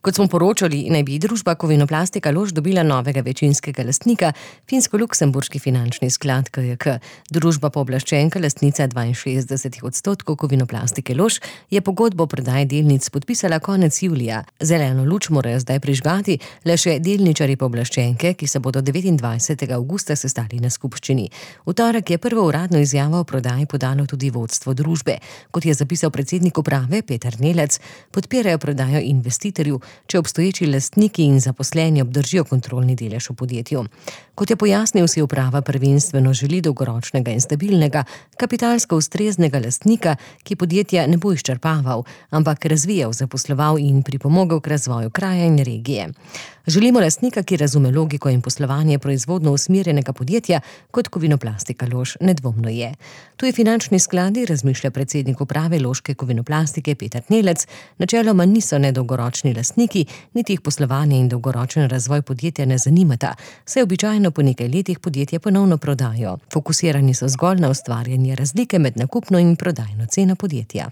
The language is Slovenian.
Kot smo poročali, naj bi družba Kovinoplastika Lož dobila novega večinskega lastnika, finsko-luksemburški finančni sklad KJK. Družba pooblaščenka, lastnica 62% Kovinoplastike Lož, je pogodbo o prodaji delnic podpisala konec julija. Zeleno luč morajo zdaj prižgati le še delničarji pooblaščenke, ki se bodo 29. avgusta sestali na skupščini. V torek je prvo uradno izjavo o prodaji podalo tudi vodstvo družbe. Kot je zapisal predsednik uprave Peter Nelec, podpirajo prodajo investitorju, če obstoječi lastniki in zaposleni obdržijo kontrolni delež v podjetju. Kot je pojasnil, si uprava prvenstveno želi dolgoročnega in stabilnega, kapitalsko ustreznega lastnika, ki podjetja ne bo izčrpaval, ampak razvijal, zaposloval in pripomogel k razvoju kraja in regije. Želimo lastnika, ki razume logiko in poslovanje proizvodno usmerjenega podjetja, kot Kovinoplastika Lož nedvomno je. Tuji finančni skladi, razmišlja predsednik uprave Loške Kovinoplastike Peter Nelec, načeloma niso nedolgoročni lastniki, niti jih poslovanje in dolgoročen razvoj podjetja ne zanimata, saj običajno po nekaj letih podjetje ponovno prodajo. Fokusirani so zgolj na ustvarjanje razlike med nakupno in prodajno ceno podjetja.